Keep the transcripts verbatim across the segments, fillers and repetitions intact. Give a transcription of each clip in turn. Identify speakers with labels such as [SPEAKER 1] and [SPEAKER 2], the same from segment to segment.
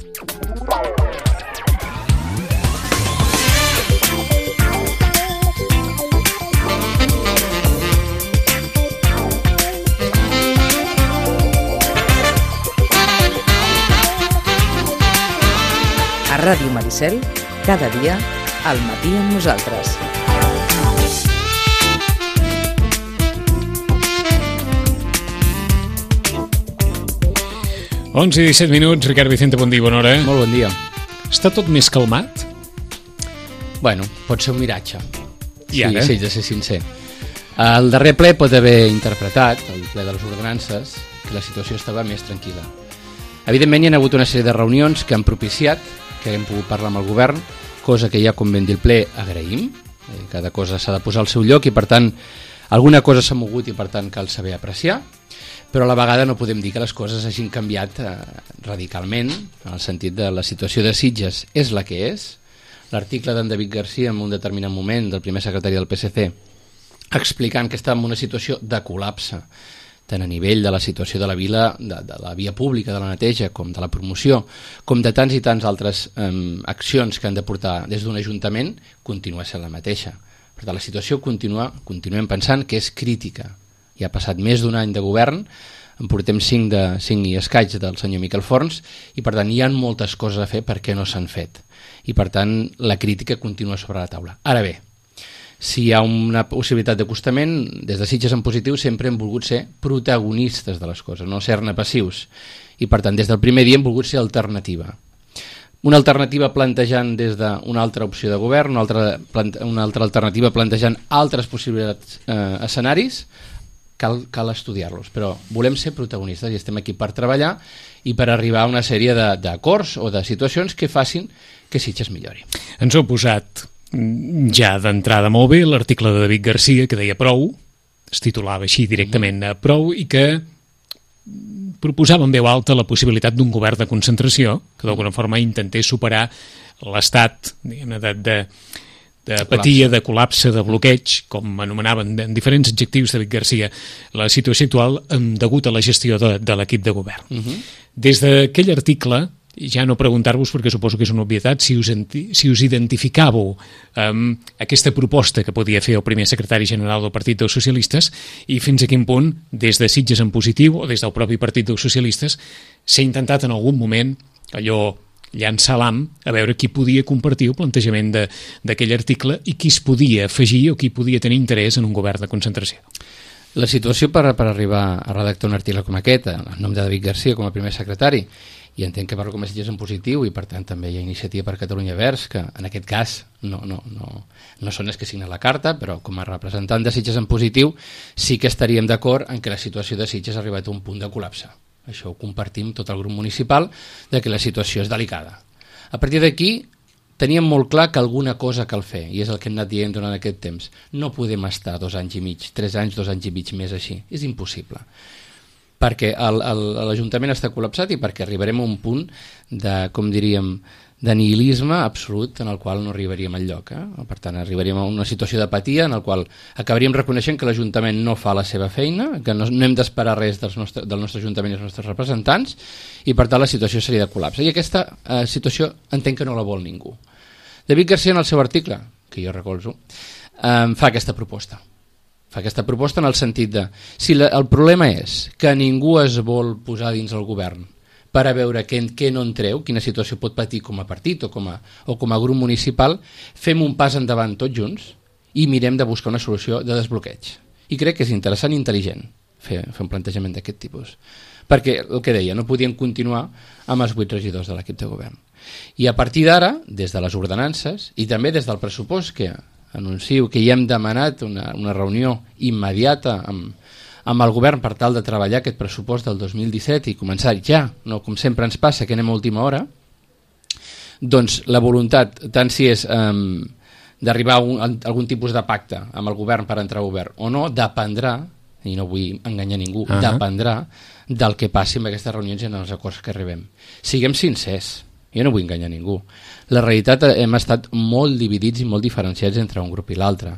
[SPEAKER 1] A Ràdio Maricel, cada dia, al matí amb nosaltres.
[SPEAKER 2] onze i disset minuts, Ricard Vicente, bon dia, bona hora.
[SPEAKER 3] Molt bon dia.
[SPEAKER 2] Està tot més calmat?
[SPEAKER 3] Bueno, pot ser un miratge.
[SPEAKER 2] I ara?
[SPEAKER 3] Sí, sí, de ser sincer. El darrer ple pot haver interpretat, el ple de les ordenances, que la situació estava més tranquil·la. Evidentment hi ha hagut una sèrie de reunions que han propiciat que hem pogut parlar amb el govern, cosa que ja, com ben dir el ple, agraïm. Cada cosa s'ha de posar al seu lloc i, per tant, alguna cosa s'ha mogut i, per tant, cal saber apreciar. Però a la vegada no podem dir que les coses hagin canviat eh, radicalment, en el sentit de la situació de Sitges és la que és. L'article d'en David Garcia en un determinat moment, del primer secretari del P S C, explicant que estava en una situació de col·lapse, tant a nivell de la situació de la vila, de, de la via pública, de la neteja, com de la promoció, com de tants i tants altres eh, accions que han de portar des d'un ajuntament, continua sent la mateixa. Per tant, la situació continua, continuem pensant que és crítica. Ja ha passat més d'un any de govern, en portem cinc, de, cinc i escaig del senyor Miquel Forns, i per tant hi ha moltes coses a fer perquè no s'han fet. I per tant la crítica continua sobre la taula. Ara bé, si hi ha una possibilitat d'acostament, des de Sitges en positiu sempre hem volgut ser protagonistes de les coses, no ser-ne passius. I per tant, des del primer dia hem volgut ser alternativa. Una alternativa plantejant des d'una altra opció de govern, una altra, una altra alternativa plantejant altres possibilitats, eh, escenaris, cal, cal estudiar-los. Però volem ser protagonistes i estem aquí per treballar i per arribar a una sèrie d'acords o de situacions que facin que Sitges millori.
[SPEAKER 2] Ens heu posat ja d'entrada molt bé l'article de David Garcia que deia prou, es titulava així directament mm. prou, i que proposava en veu alta la possibilitat d'un govern de concentració que d'alguna forma intentés superar l'estat de, de, de apatia, de col·lapse, de bloqueig, com anomenaven en diferents adjectius David Garcia la situació actual degut a la gestió de, de l'equip de govern. Mm-hmm. Des d'aquell article, ja no preguntar-vos, perquè suposo que és una obvietat, si us, si us identificàveu um, aquesta proposta que podia fer el primer secretari general del Partit dels Socialistes i fins a quin punt, des de Sitges en positiu o des del propi Partit dels Socialistes, s'ha intentat en algun moment allò llançar l'ham a veure qui podia compartir el plantejament d'aquell article i qui es podia afegir o qui podia tenir interès en un govern de concentració.
[SPEAKER 3] La situació per, per arribar a redactar un article com aquest, en nom de David Garcia com a primer secretari, i entenc que parlo com a Sitges en positiu i per tant també hi ha Iniciativa per Catalunya Verds, que en aquest cas no, no, no, no són els que signen la carta, però com a representant de Sitges en positiu sí que estaríem d'acord en que la situació de Sitges ha arribat a un punt de col·lapse. Això ho compartim tot el grup municipal, de que la situació és delicada. A partir d'aquí teníem molt clar que alguna cosa cal fer, i és el que hem anat dient durant aquest temps. No podem estar dos anys i mig, tres anys, dos anys i mig més així. És impossible. Perquè l'Ajuntament està col·lapsat i perquè arribarem a un punt de, com diríem, de nihilisme absolut en el qual no arribaríem enlloc. Eh? Per tant, arribaríem a una situació d'apatia en el qual acabaríem reconeixent que l'Ajuntament no fa la seva feina, que no, no hem d'esperar res dels nostre, del nostre Ajuntament i dels nostres representants, i per tant la situació seria de col·lapse. I aquesta eh, situació entenc que no la vol ningú. David Garcia, en el seu article, que jo recolzo, eh, fa aquesta proposta. Fa aquesta proposta en el sentit de, si la, el problema és que ningú es vol posar dins el govern per a veure què, què no entreu, quina situació pot patir com a partit o com a, o com a grup municipal, fem un pas endavant tots junts i mirem de buscar una solució de desbloqueig. I crec que és interessant i intel·ligent fer, fer un plantejament d'aquest tipus. Perquè, el que deia, no podien continuar amb els vuit regidors de l'equip de govern. I a partir d'ara, des de les ordenances i també des del pressupost que anuncio que ja hem demanat una, una reunió immediata amb, amb el govern per tal de treballar aquest pressupost del dos mil disset i començar ja, no com sempre ens passa que anem a última hora, doncs la voluntat, tant si és um, d'arribar a, un, a algun tipus de pacte amb el govern per entrar a govern o no, dependrà, i no vull enganyar ningú, uh-huh. dependrà del que passi amb aquestes reunions i en els acords que arribem. Siguem sincers. Jo no vull enganyar ningú. La realitat, hem estat molt dividits i molt diferenciats entre un grup i l'altre.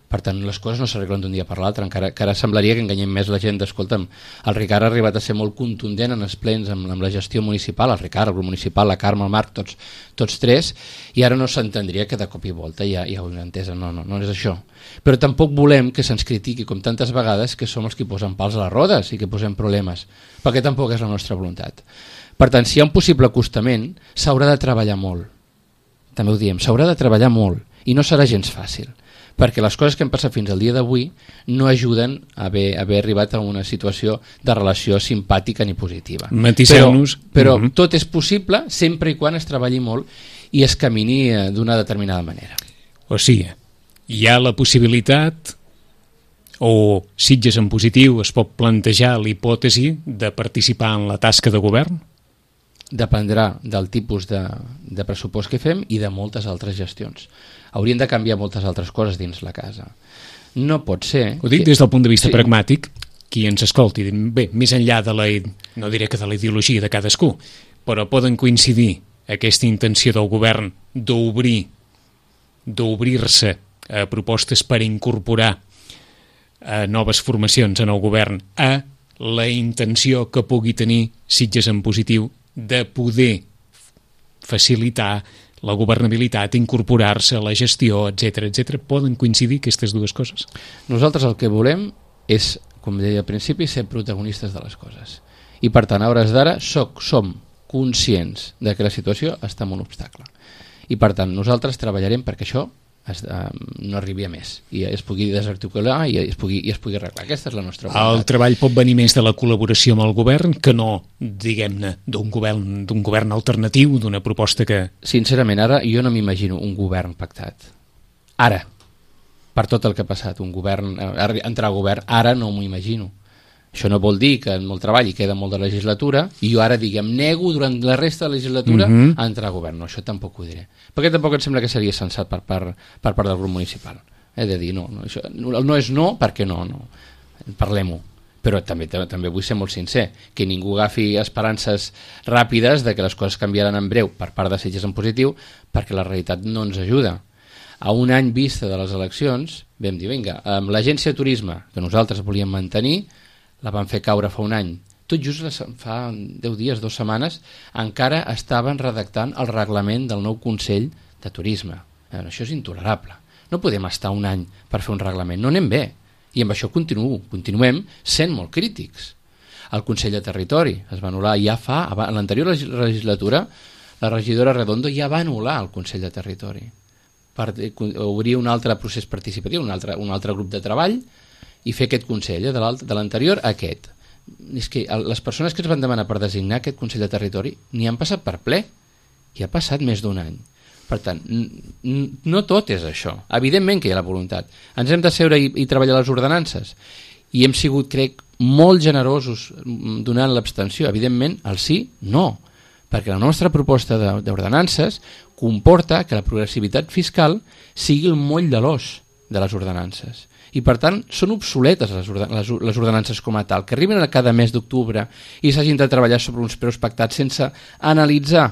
[SPEAKER 3] Per tant, les coses no s'arreglen d'un dia per l'altre, encara que ara semblaria que enganyem més la gent. Escolta'm, el Ricard ha arribat a ser molt contundent en els plens amb, amb la gestió municipal, el Ricard, el grup municipal, la Carme, el Marc, tots, tots tres, i ara no s'entendria que de cop i volta ja, ja ho hem entès, no, no, no és això. Però tampoc volem que se'ns critiqui, com tantes vegades, que som els que posen pals a les rodes i que posem problemes, perquè tampoc és la nostra voluntat. Per tant, si hi ha un possible acostament, s'haurà de treballar molt. També ho diem, s'haurà de treballar molt, i no serà gens fàcil, perquè les coses que hem passat fins al dia d'avui no ajuden a haver, a haver arribat a una situació de relació simpàtica ni positiva.
[SPEAKER 2] Matisseu-nos.
[SPEAKER 3] Però, però
[SPEAKER 2] uh-huh.
[SPEAKER 3] tot és possible sempre i quan es treballi molt i es camini d'una determinada manera.
[SPEAKER 2] O sigui, hi ha la possibilitat, o Sitges en positiu es pot plantejar l'hipòtesi de participar en la tasca de govern?
[SPEAKER 3] Dependrà del tipus de, de pressupost que fem i de moltes altres gestions. Haurien de canviar moltes altres coses dins la casa. No pot ser...
[SPEAKER 2] Ho dic
[SPEAKER 3] que...
[SPEAKER 2] des del punt de vista
[SPEAKER 3] sí.
[SPEAKER 2] pragmàtic, qui ens escolti, bé, més enllà de la, no diré que de la ideologia de cadascú, però poden coincidir aquesta intenció del govern d'obrir, d'obrir-se a propostes per incorporar a noves formacions en el govern, a la intenció que pugui tenir Sitges en positiu de poder facilitar la governabilitat, incorporar-se a la gestió, etcètera, etcètera. Poden coincidir aquestes dues coses?
[SPEAKER 3] Nosaltres el que volem és, com deia al principi, ser protagonistes de les coses. I per tant, a hores d'ara, soc, som conscients de que la situació està en un obstacle. I per tant, nosaltres treballarem perquè això es, eh, no arribi a més i es pugui desarticular i es pugui, i es pugui arreglar. Aquesta és la nostra voluntat.
[SPEAKER 2] El treball pot venir més de la col·laboració amb el govern que no, diguem-ne, d'un govern, d'un govern alternatiu, d'una proposta que...
[SPEAKER 3] Sincerament, ara jo no m'imagino un govern pactat. Ara, per tot el que ha passat, un govern, entrar a govern, ara no m'ho imagino. Això no vol dir que en el treball hi queda molt de legislatura i jo ara, diguem, nego durant la resta de la legislatura
[SPEAKER 2] uh-huh.
[SPEAKER 3] a entrar a govern. No, això tampoc ho diré. Perquè tampoc em sembla que seria sensat per, per, per part del grup municipal. He de dir, no, no, això, no és no perquè no, no. Parlem-ho. Però també, també vull ser molt sincer, que ningú agafi esperances ràpides de que les coses canviaran en breu per part de Sitges en positiu, perquè la realitat no ens ajuda. A un any vista de les eleccions vam dir, vinga, amb l'agència de turisme que nosaltres volíem mantenir, la van fer caure fa un any. Tot just fa deu dies, dues setmanes, encara estaven redactant el reglament del nou Consell de Turisme. Veure, això és intolerable. No podem estar un any per fer un reglament, no anem bé. I amb això continuo, continuem sent molt crítics. El Consell de Territori es va anul·lar ja fa, a l'anterior legislatura, la regidora Redondo ja va anul·lar el Consell de Territori per obrir un altre procés participatiu, un altre, un altre grup de treball i fer aquest Consell, eh, de l'anterior a aquest. És que les persones que es van demanar per designar aquest Consell de Territori ni han passat per ple, i ha passat més d'un any. Per tant, no tot és això. Evidentment que hi ha la voluntat. Ens hem de seure i, i treballar les ordenances, i hem sigut, crec, molt generosos donant l'abstenció. Evidentment, el sí, no, perquè la nostra proposta d'ordenances comporta que la progressivitat fiscal sigui el moll de l'os de les ordenances. I per tant són obsoletes les, orden les, les ordenances com a tal, que arriben a cada mes d'octubre i s'hagin de treballar sobre uns preus pactats sense analitzar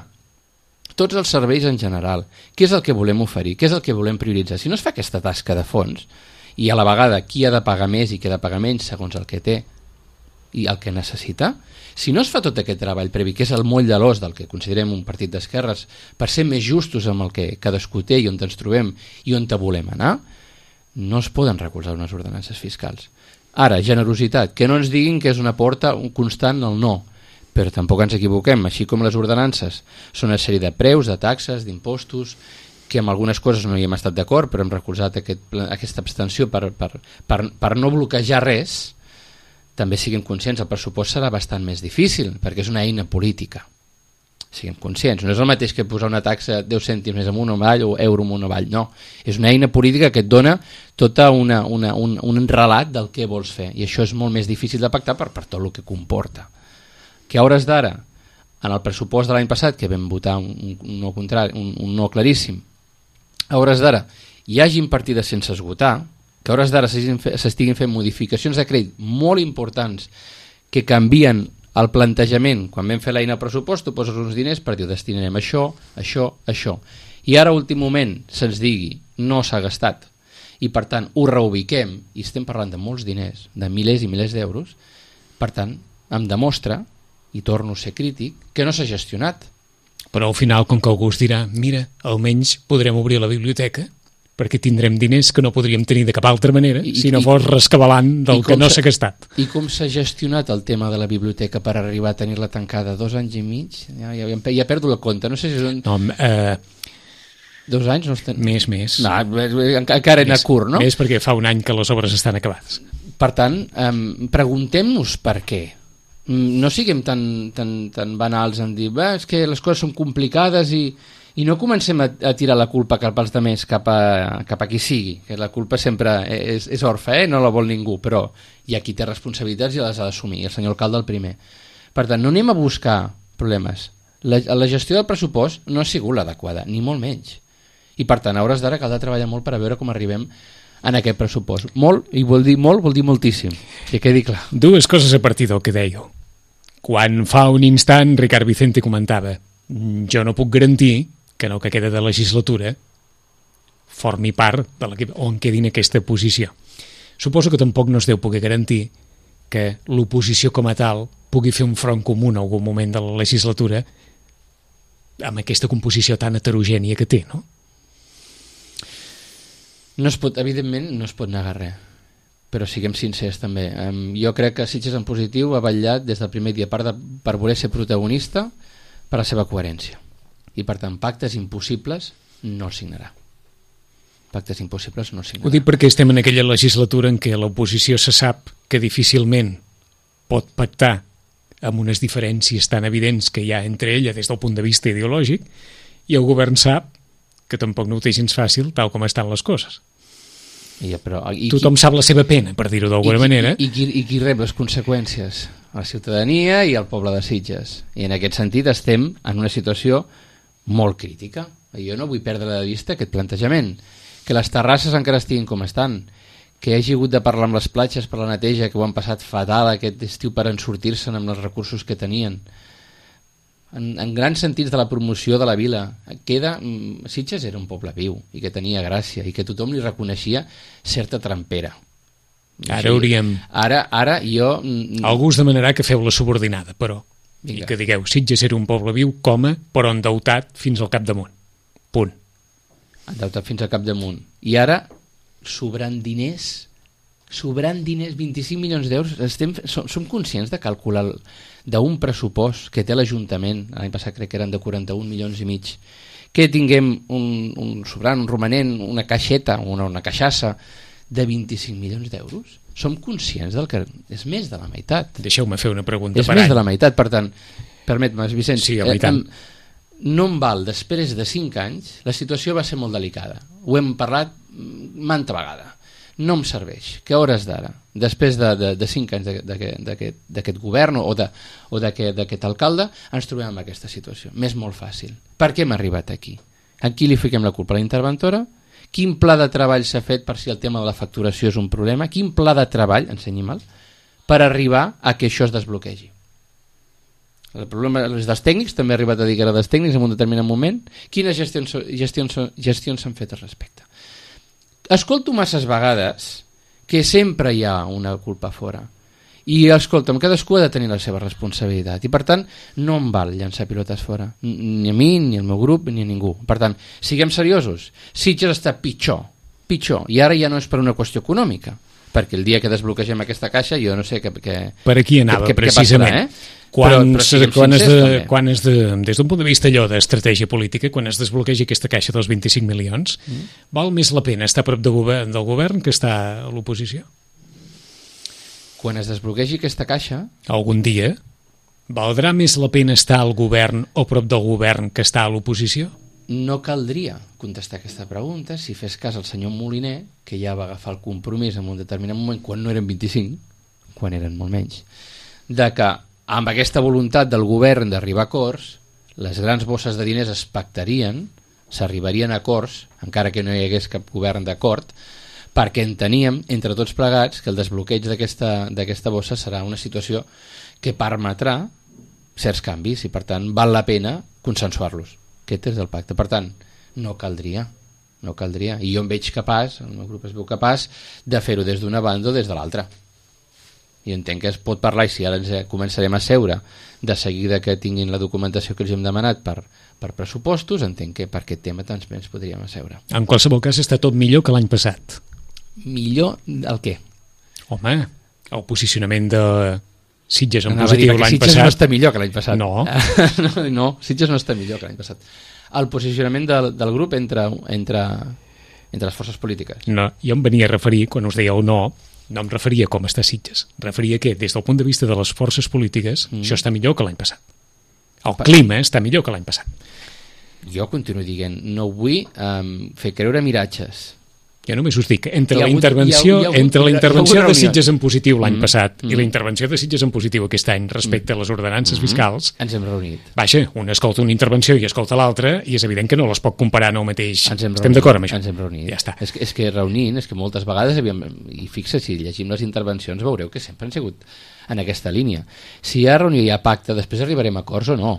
[SPEAKER 3] tots els serveis en general, què és el que volem oferir, què és el que volem prioritzar. Si no es fa aquesta tasca de fons i a la vegada qui ha de pagar més i qui ha de pagar menys segons el que té i el que necessita, si no es fa tot aquest treball previ, que és el moll de l'os del que considerem un partit d'esquerres, per ser més justos amb el que cadascú té i on ens trobem i on te volem anar, no es poden recolzar unes ordenances fiscals. Ara, generositat, que no ens diguin que és una porta constant al no, però tampoc ens equivoquem, així com les ordenances són una sèrie de preus, de taxes, d'impostos, que amb algunes coses no hi hem estat d'acord, però hem recolzat aquest, aquesta abstenció per, per, per, per no bloquejar res. També siguem conscients, el pressupost serà bastant més difícil, perquè és una eina política. Siguem conscients, no és el mateix que posar una taxa deu cèntims més amunt o avall o euro amunt o avall, no. És una eina política que et dona tota una, una, un, un relat del que vols fer, i això és molt més difícil de pactar per, per tot el que comporta. Que a hores d'ara, en el pressupost de l'any passat, que vam votar un, un, no contrari, un, un no claríssim, a hores d'ara hi hagin partides sense esgotar, que a hores d'ara s'estiguin fent modificacions de crèdit molt importants que canvien el plantejament. Quan vam fer l'eina al pressupost, tu poses uns diners per dir destinarem això, això, això. I ara, a últim moment, se'ns digui no s'ha gastat i per tant ho reubiquem, i estem parlant de molts diners, de milers i milers d'euros, per tant em demostra, i torno a ser crític, que no s'ha gestionat.
[SPEAKER 2] Però al final, com que algú es dirà, mira, almenys podrem obrir la biblioteca perquè tindrem diners que no podríem tenir de cap altra manera I, si no i, fos rescabalant del que no s'ha gastat.
[SPEAKER 3] I com s'ha gestionat el tema de la biblioteca per arribar a tenir-la tancada? Dos anys i mig? Ja, ja, ja perdo la compte. No sé si són...
[SPEAKER 2] No, eh...
[SPEAKER 3] Dos anys? No estan...
[SPEAKER 2] Més, més.
[SPEAKER 3] No, encara era curt, no?
[SPEAKER 2] Més perquè fa un any que les obres estan acabades.
[SPEAKER 3] Per tant, eh, preguntem-nos per què. No siguem tan, tan, tan banals en dir és que les coses són complicades i, i no comencem a, a tirar la culpa cap als altres cap a, cap a qui sigui, que la culpa sempre és, és orfa, eh? No la vol ningú, però hi ha qui té responsabilitats i les ha d'assumir, el senyor alcalde el primer. Per tant, no anem a buscar problemes. La, la gestió del pressupost no ha sigut l'adequada, ni molt menys. I per tant, a hores d'ara caldrà treballar molt per a veure com arribem en aquest pressupost. Molt, i vol dir molt, vol dir moltíssim, que quedi clar.
[SPEAKER 2] Dues coses a partir del que dèieu. Quan fa un instant Ricard Vicente comentava jo no puc garantir que no que queda de legislatura formi part de l'equip o en quedi en aquesta posició. Suposo que tampoc no es deu poder garantir que l'oposició com a tal pugui fer un front comú en algun moment de la legislatura amb aquesta composició tan heterogènia que té, no?
[SPEAKER 3] No es pot, evidentment, no es pot negar res, però siguem sincers també. Um, jo crec que Sitges en positiu ha vetllat des del primer dia per, de, per voler ser protagonista per la seva coherència. I per tant, pactes impossibles no signarà. Pactes impossibles no signarà.
[SPEAKER 2] Ho dic perquè estem en aquella legislatura en què l'oposició se sap que difícilment pot pactar amb unes diferències tan evidents que hi ha entre ella des del punt de vista ideològic, i el govern sap que tampoc no ho té gens fàcil tal com estan les coses.
[SPEAKER 3] I, però, i
[SPEAKER 2] Tothom
[SPEAKER 3] qui,
[SPEAKER 2] sap la seva pena, per dir-ho d'alguna manera.
[SPEAKER 3] I, i, qui, I qui rep les conseqüències? La ciutadania i el poble de Sitges. I en aquest sentit estem en una situació molt crítica. Jo no vull perdre de vista aquest plantejament. Que les terrasses encara estiguin com estan, que hi hagi hagut de parlar amb les platges per la neteja, que ho han passat fatal aquest estiu per en sortir-se'n amb els recursos que tenien. En, en grans sentits de la promoció de la vila queda, Sitges era un poble viu i que tenia gràcia i que tothom li reconeixia certa trampera.
[SPEAKER 2] Ara sí, hauríem
[SPEAKER 3] ara, ara jo
[SPEAKER 2] algú us demanarà que feu la subordinada, però vinga. I que digueu, Sitges era un poble viu, coma, però endeutat fins al capdamunt, punt.
[SPEAKER 3] Endeutat fins al capdamunt i ara sobrant diners sobrant diners, vint-i-cinc milions d'euros. Estem, som, som conscients de calcular d'un pressupost que té l'Ajuntament, l'any passat crec que eren de quaranta-un milions i mig, que tinguem un, un sobrant, un romanent, una caixeta, una, una caixassa de vint-i-cinc milions d'euros? Som conscients del que és més de la meitat.
[SPEAKER 2] Deixeu-me fer una pregunta
[SPEAKER 3] és
[SPEAKER 2] per
[SPEAKER 3] més
[SPEAKER 2] any.
[SPEAKER 3] de la meitat, per tant, permet-me, Vicenç,
[SPEAKER 2] sí, eh, em,
[SPEAKER 3] no em val, després de cinc anys, la situació va ser molt delicada. Ho hem parlat manta vegada. No em serveix que a hores d'ara, després de, de, de cinc anys d'aquest govern o d'aquest alcalde, ens trobem en aquesta situació. M'és molt fàcil. Per què hem arribat aquí? A qui li fiquem la culpa? A la interventora? Quin pla de treball s'ha fet per si el tema de la facturació és un problema? Quin pla de treball, ensenyi mal, per arribar a que això es desbloquegi? El problema és dels tècnics, també ha arribat a dir que era dels tècnics en un determinat moment. Quines gestions, gestions, gestions s'han fet al respecte? Escolto masses vegades que sempre hi ha una culpa fora i escolta'm, cadascú ha de tenir la seva responsabilitat i per tant no em val llançar pilotes fora, ni a mi, ni al meu grup ni a ningú. Per tant, siguem seriosos, Sitges està pitjor pitjor, i ara ja no és per una qüestió econòmica, perquè el dia que desbloquegem aquesta caixa jo no sé què, què,
[SPEAKER 2] per aquí anava,
[SPEAKER 3] què, què,
[SPEAKER 2] precisament
[SPEAKER 3] què passarà, eh?
[SPEAKER 2] Quan,
[SPEAKER 3] però, però
[SPEAKER 2] quan, es de, quan es de, des d'un punt de vista allò d'estratègia política, quan es desbloquegi aquesta caixa dels vint-i-cinc milions, mm. val més la pena estar a prop de govern, del govern que estar a l'oposició?
[SPEAKER 3] Quan es desbloquegi aquesta caixa...
[SPEAKER 2] Algun dia valdrà més la pena estar al govern o prop del govern que estar a l'oposició?
[SPEAKER 3] No caldria contestar aquesta pregunta si fes cas al senyor Moliner, que ja va agafar el compromís en un determinat moment, quan no eren vint-i-cinc, quan eren molt menys, de que amb aquesta voluntat del govern d'arribar a acords, les grans bosses de diners es pactarien, s'arribarien a acords, encara que no hi hagués cap govern d'acord, perquè enteníem, entre tots plegats, que el desbloqueig d'aquesta bossa serà una situació que permetrà certs canvis i, per tant, val la pena consensuar-los. Aquest és el pacte. Per tant, no caldria. no caldria. I jo em veig capaç, el meu grup es veu capaç, de fer-ho des d'una banda o des de l'altra. I entenc que es pot parlar, i si ara ens començarem a seure de seguida que tinguin la documentació que els hem demanat per, per pressupostos, entenc que per aquest tema també ens podríem asseure.
[SPEAKER 2] En qualsevol cas està tot millor que l'any passat.
[SPEAKER 3] Millor el què?
[SPEAKER 2] Home, el posicionament de Sitges en
[SPEAKER 3] Anava
[SPEAKER 2] positiu
[SPEAKER 3] a dir,
[SPEAKER 2] l'any
[SPEAKER 3] Sitges
[SPEAKER 2] passat...
[SPEAKER 3] no està millor que l'any passat.
[SPEAKER 2] No.
[SPEAKER 3] no, no, Sitges no està millor que l'any passat. El posicionament del, del grup entre, entre, entre les forces polítiques.
[SPEAKER 2] No, jo em venia a referir, quan us dèieu no, no em referia a com està Sitges. Referia que, des del punt de vista de les forces polítiques, mm. això està millor que l'any passat. El pa... clima està millor que l'any passat.
[SPEAKER 3] Jo continuo dient, no vull um, fer creure miratges.
[SPEAKER 2] Jo només us dic, entre la
[SPEAKER 3] hagut,
[SPEAKER 2] intervenció,
[SPEAKER 3] hi ha, hi ha hagut,
[SPEAKER 2] entre la intervenció de Sitges en positiu l'any
[SPEAKER 3] mm,
[SPEAKER 2] passat
[SPEAKER 3] mm.
[SPEAKER 2] i la intervenció de Sitges en positiu aquest any respecte mm. a les ordenances mm. fiscals,
[SPEAKER 3] ens hem reunit.
[SPEAKER 2] Vaja, un escolta una intervenció i escolta l'altra i és evident que no les pot comparar en el mateix.
[SPEAKER 3] Ens hem
[SPEAKER 2] Estem
[SPEAKER 3] reunit,
[SPEAKER 2] d'acord amb això?
[SPEAKER 3] Ens hem reunit.
[SPEAKER 2] Ja està.
[SPEAKER 3] És que, és que reunint, és que moltes vegades havíem, i fixa, si llegim les intervencions veureu que sempre han sigut en aquesta línia. Si hi ha reunió i hi ha pacte, després arribarem a acords o no,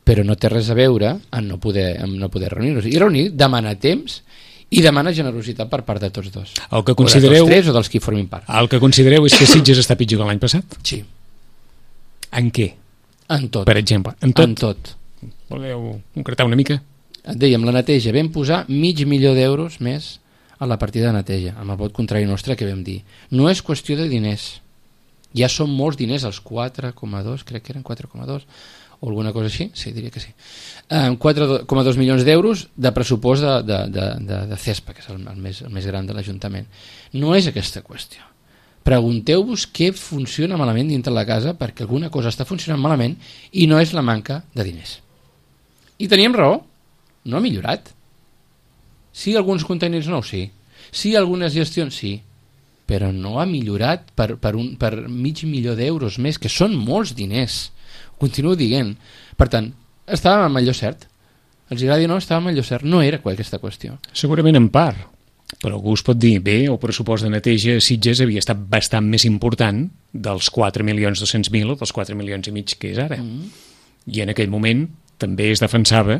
[SPEAKER 3] però no té res a veure amb no poder, amb no poder reunir-nos. I reunir demana temps i demana generositat per part de tots dos.
[SPEAKER 2] El que
[SPEAKER 3] O
[SPEAKER 2] considereu,
[SPEAKER 3] de tots tres o dels que formin part.
[SPEAKER 2] El que considereu és que Sitges està pitjor que l'any passat?
[SPEAKER 3] Sí.
[SPEAKER 2] En què?
[SPEAKER 3] En tot.
[SPEAKER 2] Per exemple, en tot?
[SPEAKER 3] En tot.
[SPEAKER 2] Voleu concretar una mica?
[SPEAKER 3] Et dèiem, la neteja, vam posar mig milió d'euros més a la partida de neteja, amb el vot contrari nostre que vam dir. No és qüestió de diners. Ja són molts diners, els quatre coma dos, crec que eren quatre coma dos, o alguna cosa així, sí, diria que sí. Um, quatre coma dos milions d'euros de pressupost de, de, de, de, de CESPA, que és el, el, més, el més gran de l'Ajuntament. No és aquesta qüestió. Pregunteu-vos què funciona malament dintre la casa, perquè alguna cosa està funcionant malament i no és la manca de diners. I teníem raó, no ha millorat. Sí, alguns contenidors nous, sí. Sí, algunes gestions, sí. Però no ha millorat per, per, un, per mig milió d'euros més, que són molts diners. Continuo dient. Per tant, estàvem amb allò cert. Els agradi o no, estàvem amb allò cert. No era aquesta qüestió.
[SPEAKER 2] Segurament en part. Però algú es pot dir, bé, el pressupost de neteja a Sitges havia estat bastant més important dels quatre milions dos-cents mil o dels quatre milions i mig que és ara. Mm. I en aquell moment també es defensava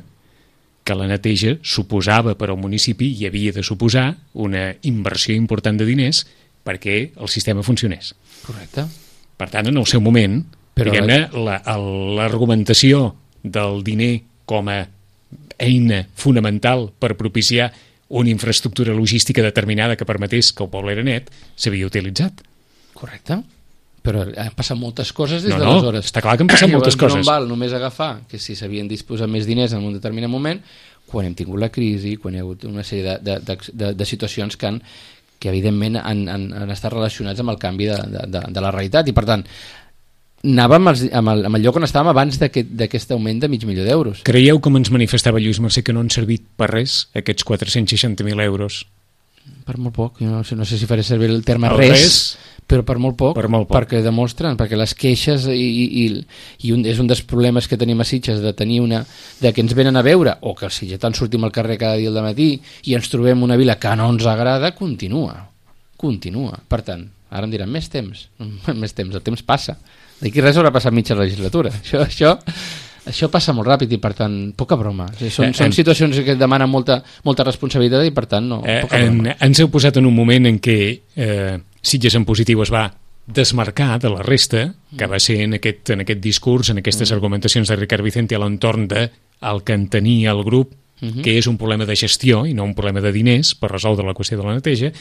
[SPEAKER 2] que la neteja suposava per al municipi i havia de suposar una inversió important de diners perquè el sistema funcionés.
[SPEAKER 3] Correcte.
[SPEAKER 2] Per tant, en el seu moment,
[SPEAKER 3] però
[SPEAKER 2] diguem-ne, l'argumentació del diner com a eina fonamental per propiciar una infraestructura logística determinada que permetés que el poble era net, s'havia utilitzat.
[SPEAKER 3] Correcte. Però han passat moltes coses des
[SPEAKER 2] no,
[SPEAKER 3] d'aleshores.
[SPEAKER 2] No, està clar que han passat moltes coses.
[SPEAKER 3] No val només agafar que si s'havien disposat més diners en un determinat moment, quan hem tingut la crisi, quan hi ha hagut una sèrie de, de, de, de situacions que, han, que evidentment han, han, han estat relacionats amb el canvi de, de, de, de la realitat, i per tant anàvem amb, els, amb, el, amb el lloc on estàvem abans d'aquest aquest augment de mig milió d'euros.
[SPEAKER 2] Creieu, com ens manifestava Lluís Mercè, que no han servit per res aquests quatre-cents seixanta mil euros?
[SPEAKER 3] Per molt poc, jo no sé, no sé si faré servir el terme
[SPEAKER 2] el
[SPEAKER 3] res,
[SPEAKER 2] res,
[SPEAKER 3] però per molt poc,
[SPEAKER 2] per molt poc,
[SPEAKER 3] perquè demostren, perquè les queixes i, i, i un, és un dels problemes que tenim a Sitges, de tenir una, de que ens venen a veure, o que els sitgetans sortim al carrer cada dia al matí i ens trobem una vila que no ens agrada, continua, continua. Per tant, ara em diran, més temps, més temps, el temps passa. D'aquí res haurà passat mitja legislatura. Això, això, això passa molt ràpid i, per tant, poca broma. O sigui, són, eh, són situacions que demanen molta, molta responsabilitat i, per tant, no,
[SPEAKER 2] eh,
[SPEAKER 3] poca
[SPEAKER 2] en,
[SPEAKER 3] broma.
[SPEAKER 2] Ens heu posat en un moment en què eh, Sitges en positiu es va desmarcar de la resta, que va ser en aquest, en aquest discurs, en aquestes mm. argumentacions de Ricard Vicente a l'entorn de el que entenia el grup, mm-hmm. que és un problema de gestió i no un problema de diners per resoldre la qüestió de la neteja,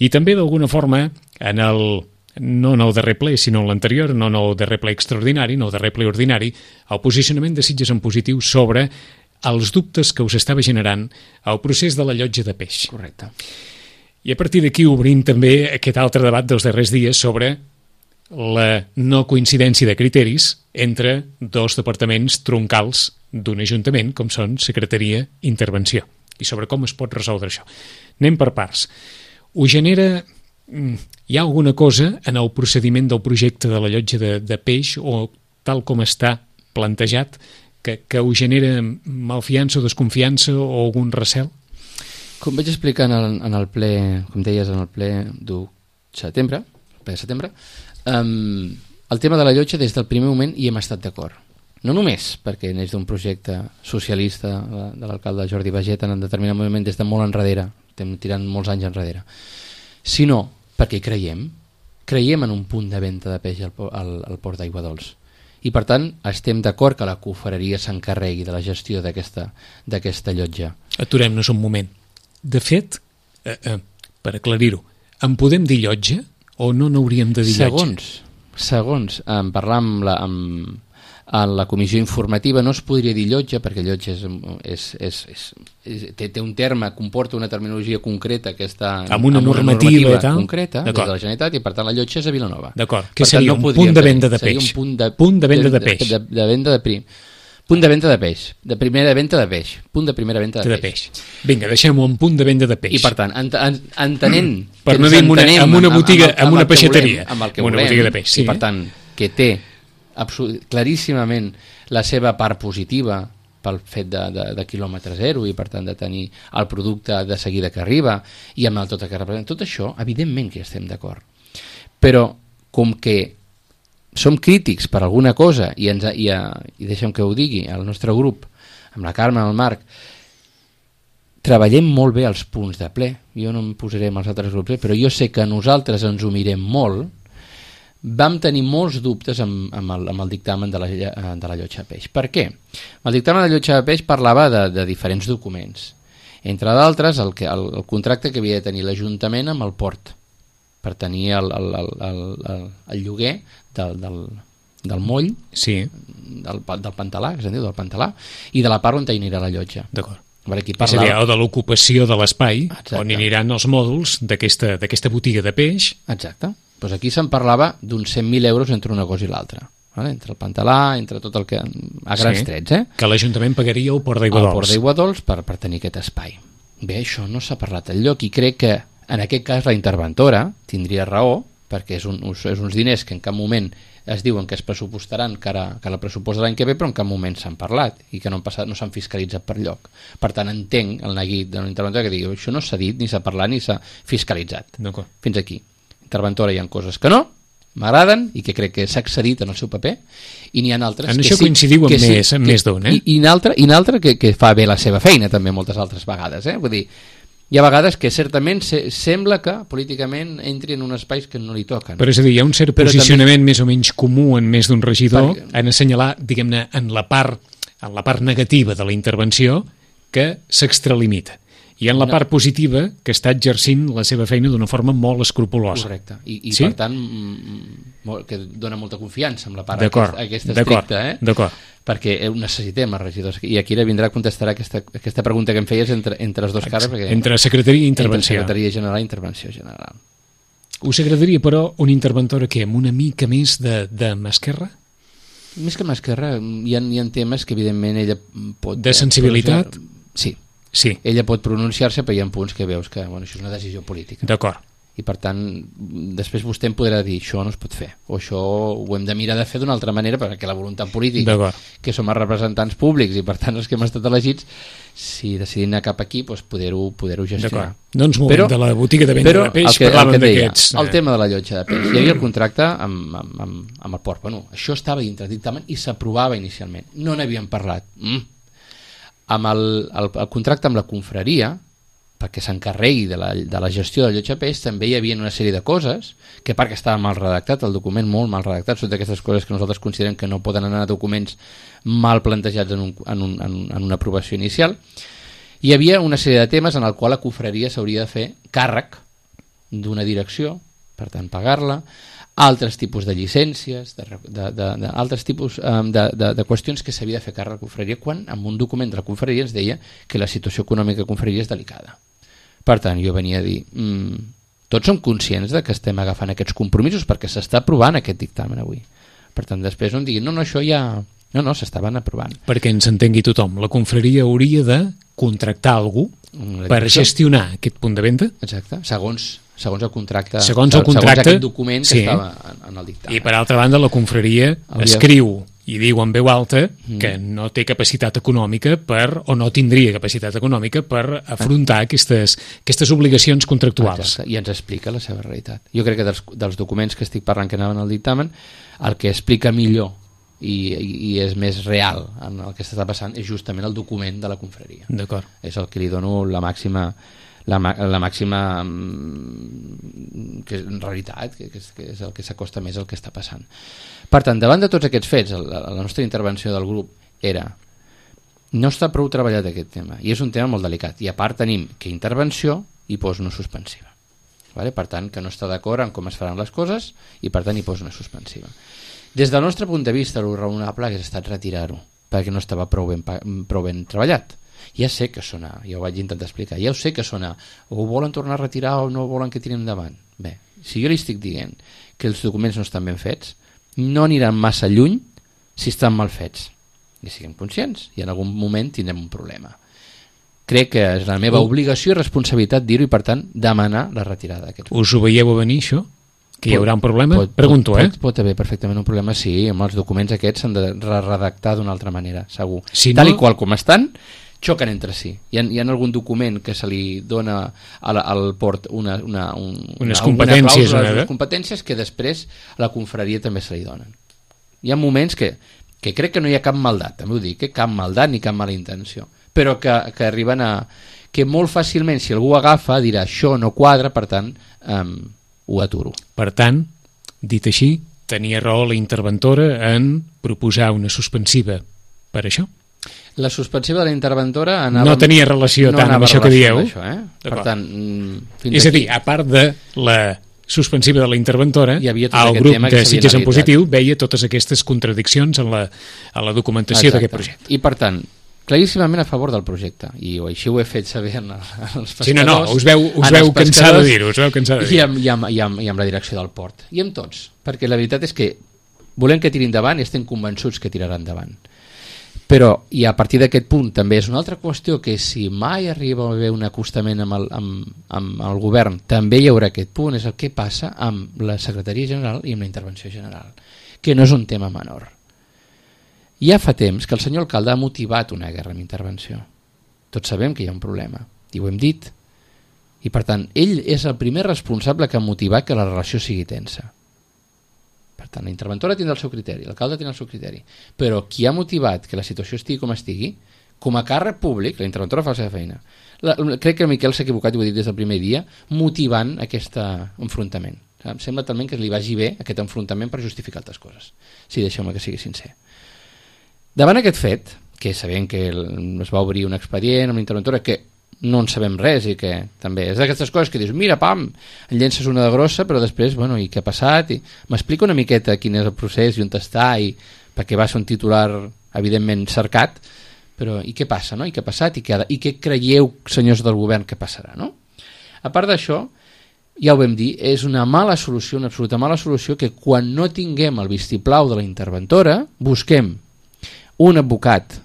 [SPEAKER 2] i també d'alguna forma en el no en el darrer ple, sinó en l'anterior, no en el darrer ple extraordinari, no el darrer ple ordinari, el posicionament de Sitges en positiu sobre els dubtes que us estava generant el procés de la llotja de peix.
[SPEAKER 3] Correcte.
[SPEAKER 2] I a partir d'aquí obrim també aquest altre debat dels darrers dies sobre la no coincidència de criteris entre dos departaments troncals d'un ajuntament, com són Secretaria i Intervenció, i sobre com es pot resoldre això. Anem per parts. Ho genera... Hi ha alguna cosa en el procediment del projecte de la llotja de, de peix o tal com està plantejat que, que ho genera malfiança o desconfiança o algun recel?
[SPEAKER 3] Com vaig explicar en el, en el ple, com deies, en el ple d'u setembre, el ple de setembre, um, el tema de la llotja des del primer moment hi hem estat d'acord. no només perquè neix d'un projecte socialista de l'alcalde Jordi Bageta en determinat moment des de molt enrere, estem tirant molts anys enrere, sinó perquè hi creiem, creiem en un punt de venda de peix al, al, al port d'Aigua Dols. I per tant estem d'acord que la confraria s'encarregui de la gestió d'aquesta d'aquesta llotja.
[SPEAKER 2] Aturem-nos un moment. De fet, eh, eh, per aclarir-ho, en podem dir llotja o no n'hauríem de dir llotja?
[SPEAKER 3] Segons, segons en parlar amb la, amb, en la comissió informativa no es podria dir llotja perquè llotja és, és, és, és, és, té, té un terme, comporta una terminologia concreta que està
[SPEAKER 2] amb una
[SPEAKER 3] amb
[SPEAKER 2] normativa,
[SPEAKER 3] una normativa
[SPEAKER 2] tal.
[SPEAKER 3] concreta des de la Generalitat i per tant la llotja és a Vilanova.
[SPEAKER 2] D'acord,
[SPEAKER 3] que
[SPEAKER 2] seria
[SPEAKER 3] no
[SPEAKER 2] un punt de venda de
[SPEAKER 3] seria
[SPEAKER 2] peix.
[SPEAKER 3] Un punt de,
[SPEAKER 2] punt de venda de, de peix.
[SPEAKER 3] De, de, de venda de prim. Punt de venda de peix, de primera venda de peix, punt de primera venda de,
[SPEAKER 2] de
[SPEAKER 3] peix.
[SPEAKER 2] peix. Vinga, deixem-ho en punt de venda de peix.
[SPEAKER 3] I per tant, ent en, entenent...
[SPEAKER 2] Per no dir en una, en una botiga, en una peixateria,
[SPEAKER 3] amb el que
[SPEAKER 2] una
[SPEAKER 3] volem,
[SPEAKER 2] botiga de peix. Sí,
[SPEAKER 3] i per tant, que té claríssimament la seva part positiva pel fet de, de, de quilòmetre zero i per tant de tenir el producte de seguida que arriba i amb el tot que representa. Tot això, evidentment que hi estem d'acord. Però com que som crítics per alguna cosa i, ens, i, i deixem que ho digui el nostre grup, amb la Carme, amb el Marc, treballem molt bé els punts de ple. Jo no em posaré amb els altres grups, però jo sé que nosaltres ens ho mirem molt. Vam tenir molts dubtes amb, amb, el, amb el dictamen de la, de la llotja de peix. Per què? El dictamen de la llotja de peix parlava de, de diferents documents. Entre d'altres, el, que, el, el contracte que havia de tenir l'Ajuntament amb el port per tenir el, el, el, el, el, el lloguer del, del, del moll,
[SPEAKER 2] sí.
[SPEAKER 3] del, del Pantalà, que se'n diu, del Pantalà, i de la part on hi anirà la llotja.
[SPEAKER 2] D'acord.
[SPEAKER 3] Aquí
[SPEAKER 2] parlava... És a dir, o de l'ocupació de l'espai,
[SPEAKER 3] Exacte.
[SPEAKER 2] On hi aniran els mòduls d'aquesta botiga de peix.
[SPEAKER 3] Exacte. Pues aquí se'n parlava d'uns cent mil euros entre una cosa i l'altra. Vale? Entre el Pantalà, entre tot el que... a grans sí, trets, eh?
[SPEAKER 2] Que l'Ajuntament pagaria el Port d'Aigua Dols.
[SPEAKER 3] El Port d'Aigua Dols per, per tenir aquest espai. Bé, això no s'ha parlat enlloc i crec que en aquest cas la interventora tindria raó, perquè és, un, és uns diners que en cap moment es diuen que es pressupostaran que, ara, que la pressupost de l'any que ve, però en cap moment s'han parlat i que no han passat, no s'han fiscalitzat per lloc. Per tant, entenc el neguit de l'interventora que digui això no s'ha dit, ni s'ha parlat, ni s'ha fiscalitzat. Fins aquí. Interventora hi ha coses que no, m'agraden i que crec que s'ha accedit en el seu paper i n'hi ha altres
[SPEAKER 2] en
[SPEAKER 3] que
[SPEAKER 2] això
[SPEAKER 3] sí,
[SPEAKER 2] coincidiu amb
[SPEAKER 3] que
[SPEAKER 2] més,
[SPEAKER 3] sí,
[SPEAKER 2] amb
[SPEAKER 3] que,
[SPEAKER 2] més d'un, eh?
[SPEAKER 3] I, i n'altra i n'altra que, que fa bé la seva feina també moltes altres vegades, eh? Vull dir, hi ha vegades que certament se, sembla que políticament entri en uns espais que no li toquen.
[SPEAKER 2] Però és a dir, hi ha un cert
[SPEAKER 3] Però
[SPEAKER 2] posicionament també... més o menys comú en més d'un regidor
[SPEAKER 3] Perquè...
[SPEAKER 2] en assenyalar, diguem-ne, en la part en la part negativa de la intervenció que s'extralimita. I en la part positiva que està exercint la seva feina d'una forma molt escrupulosa.
[SPEAKER 3] Correcte. I, i
[SPEAKER 2] sí?
[SPEAKER 3] per tant, molt, que dona molta confiança amb la part aquesta, aquesta estricta, eh?
[SPEAKER 2] D'acord.
[SPEAKER 3] Perquè ho necessitem els regidors. I aquí ara vindrà a contestar aquesta, aquesta pregunta que em feies entre, entre els dos cares. Perquè,
[SPEAKER 2] entre secretaria i intervenció.
[SPEAKER 3] Entre secretaria general i intervenció general.
[SPEAKER 2] Us agradaria, però, una interventora que amb una mica més de, de mà esquerra?
[SPEAKER 3] Més que mà esquerra, hi ha, hi ha temes que evidentment ella pot...
[SPEAKER 2] De sensibilitat?
[SPEAKER 3] Sí.
[SPEAKER 2] Sí.
[SPEAKER 3] Ella pot pronunciar-se, però hi ha punts que veus que bueno, això és una decisió política.
[SPEAKER 2] D'acord.
[SPEAKER 3] I per tant, després vostè em podrà dir això no es pot fer, o això ho hem de mirar de fer d'una altra manera, perquè la voluntat política, que som els representants públics i per tant els que hem estat elegits, si decidim anar cap aquí, doncs poder-ho poder gestionar.
[SPEAKER 2] No ens movem de la botiga de venda
[SPEAKER 3] però,
[SPEAKER 2] de peix,
[SPEAKER 3] que,
[SPEAKER 2] parlàvem d'aquests...
[SPEAKER 3] El tema de la llotja de peix. Hi havia el contracte amb, amb, amb, amb el port. Bueno, això estava dintre del dictamen i s'aprovava inicialment. No n'havíem parlat. Mm. Amb el, el, el contracte amb la confraria, perquè s'encarregui de, la, de la gestió del llotja de peix, també hi havia una sèrie de coses que perquè estava mal redactat, el document molt mal redactat, són d'aquestes coses que nosaltres considerem que no poden anar a documents mal plantejats en, un, en, un, en, en una aprovació inicial. Hi havia una sèrie de temes en el qual la confraria s'hauria de fer càrrec d'una direcció, per tant pagar-la, altres tipus de llicències, de, de, de, de, altres tipus um, de, de, de qüestions que s'havia de fer càrrec a la confraria, quan en un document de la confraria ens deia que la situació econòmica de la confraria és delicada. Per tant, jo venia a dir, mmm, tots som conscients de que estem agafant aquests compromisos perquè s'està aprovant aquest dictamen avui. Per tant, després no em diguin, no, no, això ja... No, no, s'estaven aprovant.
[SPEAKER 2] Perquè ens entengui tothom, la confraria hauria de contractar algú per gestionar aquest punt de venda?
[SPEAKER 3] Exacte, segons, segons el contracte,
[SPEAKER 2] segons el contracte,
[SPEAKER 3] segons aquest document que sí, estava en, en el dictamen.
[SPEAKER 2] I per altra banda, la confraria hauria... escriu i diu en veu alta mm. que no té capacitat econòmica per, o no tindria capacitat econòmica per afrontar ah. aquestes, aquestes obligacions contractuals.
[SPEAKER 3] Exacte. I ens explica la seva realitat. Jo crec que dels, dels documents que estic parlant que anaven al dictamen, el que explica millor i, i és més real en el que està passant, és justament el document de la confraria.
[SPEAKER 2] D'acord.
[SPEAKER 3] És el que li dono la màxima la, la màxima que és, en realitat que, que, és, que és el que s'acosta més al que està passant. Per tant, davant de tots aquests fets, la, la nostra intervenció del grup era: no està prou treballat aquest tema, i és un tema molt delicat, i a part tenim que intervenció i posa una suspensiva, vale? Per tant que no està d'acord en com es faran les coses i per tant hi posa una suspensiva. Des del nostre punt de vista, el raonable hagués estat retirar-ho, perquè no estava prou ben, prou ben treballat. Ja sé que sona, ja ho vaig intentar explicar, ja ho sé que sona, o ho volen tornar a retirar o no volen que tirem endavant. Bé, si jo li estic dient que els documents no estan ben fets, no aniran massa lluny si estan mal fets, i siguem conscients, i en algun moment tindrem un problema. Crec que és la meva obligació i responsabilitat dir-ho i per tant demanar la retirada d'aquests.
[SPEAKER 2] Us ho veieu a venir això? Que hi haurà un problema?
[SPEAKER 3] Pot,
[SPEAKER 2] Pregunto,
[SPEAKER 3] pot,
[SPEAKER 2] eh?
[SPEAKER 3] Pot, pot haver perfectament un problema, sí, amb els documents aquests s'han de redactar d'una altra manera, segur.
[SPEAKER 2] Si
[SPEAKER 3] Tal
[SPEAKER 2] no...
[SPEAKER 3] i qual com estan, xoquen entre si. Hi ha, hi ha algun document que se li dona al, al port una, una, un,
[SPEAKER 2] unes
[SPEAKER 3] una,
[SPEAKER 2] competències,
[SPEAKER 3] una clàusula,
[SPEAKER 2] una
[SPEAKER 3] unes competències que després a la confraria també se li donen. Hi ha moments que, que crec que no hi ha cap maldat, també ho dic, eh? Cap maldat ni cap mala intenció, però que, que arriben a... que molt fàcilment, si algú agafa, dirà això no quadra, per tant, um, ho aturo.
[SPEAKER 2] Per tant, dit així, tenia raó la interventora en proposar una suspensiva per això?
[SPEAKER 3] La suspensiva de la interventora anava...
[SPEAKER 2] No tenia relació
[SPEAKER 3] no
[SPEAKER 2] tant amb això que dieu.
[SPEAKER 3] Això, eh? Per tant, fins
[SPEAKER 2] és a
[SPEAKER 3] aquí...
[SPEAKER 2] dir, a part de la suspensiva de la interventora, el grup de Sitges en Positiu veia totes aquestes contradiccions en la, en la documentació d'aquest projecte.
[SPEAKER 3] I per tant, claríssimament a favor del projecte, i així ho he fet saber en, el, en els pescadors.
[SPEAKER 2] Sí, no, no, us veu, us veu cansar de dir-ho, us veu cansar de dir-ho.
[SPEAKER 3] I amb, i, amb, i, amb, I amb la direcció del port, i amb tots, perquè la veritat és que volem que tiri endavant i estem convençuts que tirarà endavant. Però, i a partir d'aquest punt també és una altra qüestió, que si mai arriba a haver un acostament amb el, amb, amb el govern, també hi haurà aquest punt, és el que passa amb la secretaria general i amb la intervenció general, que no és un tema menor. Ja fa temps que el senyor alcalde ha motivat una guerra amb intervenció. Tots sabem que hi ha un problema, i ho hem dit. I per tant, ell és el primer responsable que ha motivat que la relació sigui tensa. Per tant, la interventora tindrà el seu criteri, l'alcalde tindrà el seu criteri. Però qui ha motivat que la situació estigui com estigui, com a càrrec públic, la interventora fa la seva feina. La, crec que el Miquel s'ha equivocat, i ho he dit des del primer dia, motivant aquest enfrontament. Em sembla talment que li vagi bé aquest enfrontament per justificar altres coses. Sí, deixeu-me que sigui sincer. Davant aquest fet, que sabem que es va obrir un expedient amb l'interventora, que no en sabem res i que també és d'aquestes coses que dius, mira, pam, en llences una de grossa, però després, bueno, i què ha passat? I m'explica una miqueta quin és el procés i on està, i perquè va ser un titular evidentment cercat, però i què passa, no? I què ha passat? I què, ha de... I què creieu, senyors del govern, que passarà, no? A part d'això, ja ho vam dir, és una mala solució, una absoluta mala solució, que quan no tinguem el vistiplau de la interventora, busquem un advocat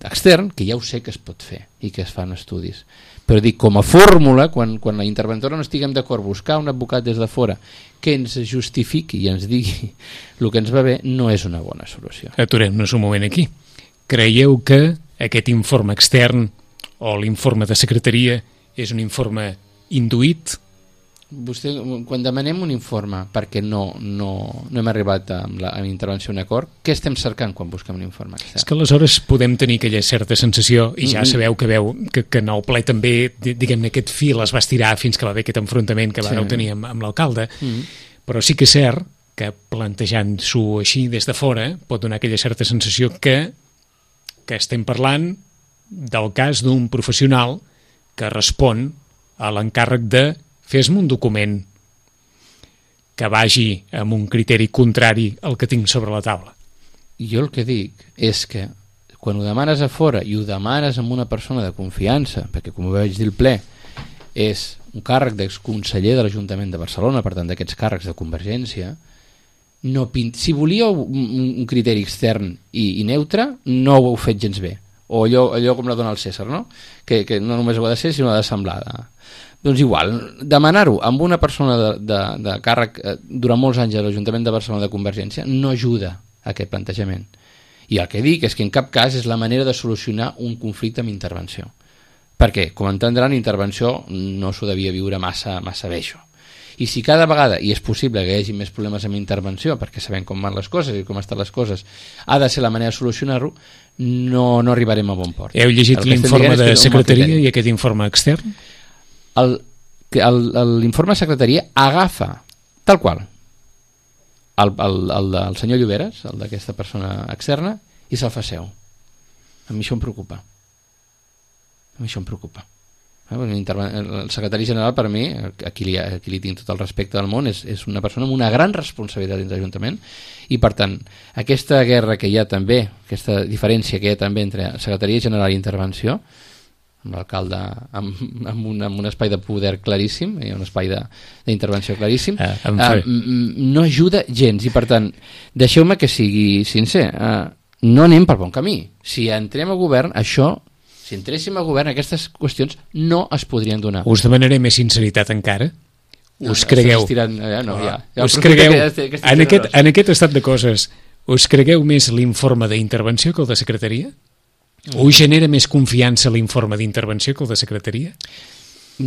[SPEAKER 3] extern, que ja ho sé que es pot fer i que es fan estudis, però dic, com a fórmula, quan, quan la interventora no estiguem d'acord, buscar un advocat des de fora que ens justifiqui i ens digui el que ens va bé, no és una bona solució.
[SPEAKER 2] Aturem-nos un moment aquí. Creieu que aquest informe extern o l'informe de secretaria és un informe induït?
[SPEAKER 3] Vostè, quan demanem un informe perquè no, no, no hem arribat amb la, amb la intervenció a un acord, què estem cercant quan busquem un informe extern?
[SPEAKER 2] És que aleshores podem tenir aquella certa sensació, i ja sabeu que veu que, que en el ple també, diguem-ne, aquest fil es va estirar fins que va haver aquest enfrontament que vàreu sí. tenir amb, amb l'alcalde, mm. però sí que és cert que plantejant-s'ho així des de fora pot donar aquella certa sensació que, que estem parlant del cas d'un professional que respon a l'encàrrec de fes-me un document que vagi amb un criteri contrari al que tinc sobre la taula.
[SPEAKER 3] Jo el que dic és que quan ho demanes a fora i ho demanes amb una persona de confiança, perquè com ho vaig dir al ple, és un càrrec d'exconseller de l'Ajuntament de Barcelona, per tant d'aquests càrrecs de Convergència, no pint... si volíeu un, un criteri extern i, i neutre, no ho heu fet gens bé. O allò, allò com la dona el César, no? Que, que no només ho ha de ser, sinó ha de semblar. Doncs igual, demanar-ho amb una persona de, de, de càrrec eh, durant molts anys a l'Ajuntament de Barcelona de Convergència no ajuda a aquest plantejament. I el que dic és que en cap cas és la manera de solucionar un conflicte amb intervenció. Perquè, com entendran, intervenció no s'ho devia viure massa, massa bé, això. I si cada vegada, i és possible que hi hagi més problemes amb intervenció, perquè sabem com van les coses i com estan les coses, ha de ser la manera de solucionar-ho, no, no arribarem a bon port.
[SPEAKER 2] Heu llegit l'informe de secretaria i aquest informe extern?
[SPEAKER 3] El, el, l'informe de secretaria agafa, tal qual, el, el, el del senyor Lloberes, el d'aquesta persona externa, i se'l fa seu. A mi això em preocupa. A mi això em preocupa. El secretari general, per mi, a qui li, a qui li tinc tot el respecte del món, és, és una persona amb una gran responsabilitat dins l'Ajuntament, i per tant, aquesta guerra que hi ha també, aquesta diferència que hi ha també entre secretaria general i intervenció, amb l'alcalde amb, amb, un, amb un espai de poder claríssim, i un espai d'intervenció claríssim, uh, uh, no ajuda gens, i per tant, deixeu-me que sigui sincer, uh, no anem pel bon camí. Si entrem a govern, això... Si entréssim a govern, aquestes qüestions no es podrien donar.
[SPEAKER 2] Us demanaré més sinceritat encara.
[SPEAKER 3] No,
[SPEAKER 2] us cregueu...
[SPEAKER 3] Estirant, ja, no, ja. Ja
[SPEAKER 2] us cregueu... Que, que en, aquest, en aquest estat de coses, us cregueu més l'informe d'intervenció que el de secretaria? Mm. Us genera més confiança l'informe d'intervenció que el de secretaria?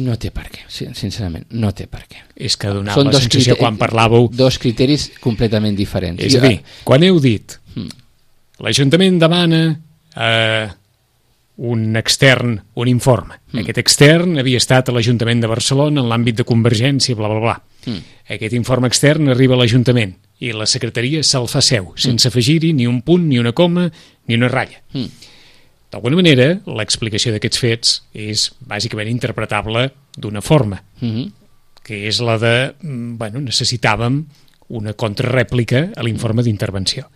[SPEAKER 3] No té per què, sincerament, no té per què.
[SPEAKER 2] És que donava la sensació quan parlàveu...
[SPEAKER 3] Dos criteris completament diferents.
[SPEAKER 2] És a dir, quan heu dit mm. l'Ajuntament demana... Eh, un extern, un informe. Mm. Aquest extern havia estat a l'Ajuntament de Barcelona en l'àmbit de Convergència, bla, bla, bla. Mm. Aquest informe extern arriba a l'Ajuntament i la secretaria se'l fa seu, mm. sense afegir-hi ni un punt, ni una coma, ni una ratlla. Mm. D'alguna manera, l'explicació d'aquests fets és bàsicament interpretable d'una forma, mm-hmm. que és la de, bueno, necessitàvem una contrarèplica a l'informe d'intervenció.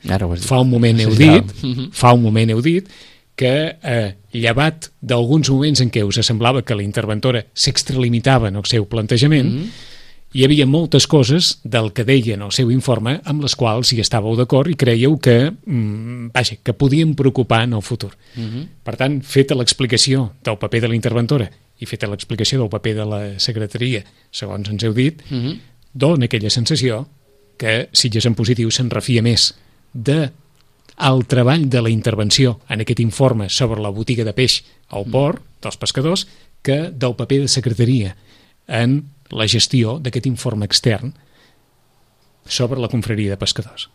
[SPEAKER 2] Fa un moment heu dit, fa un moment heu dit que eh, llevat d'alguns moments en què us semblava que la interventora s'extralimitava en el seu plantejament, mm-hmm. hi havia moltes coses del que deia en el seu informe amb les quals hi estàveu d'acord i creieu que, mm, vaja, que podien preocupar en el futur. Mm-hmm. Per tant, feta l'explicació del paper de la interventora i feta l'explicació del paper de la secretaria, segons ens heu dit, mm-hmm. dona aquella sensació que Sitges en positiu se'n refia més de el treball de la intervenció en aquest informe sobre la botiga de peix al port dels pescadors que del paper de secretaria en la gestió d'aquest informe extern sobre la confraria de pescadors.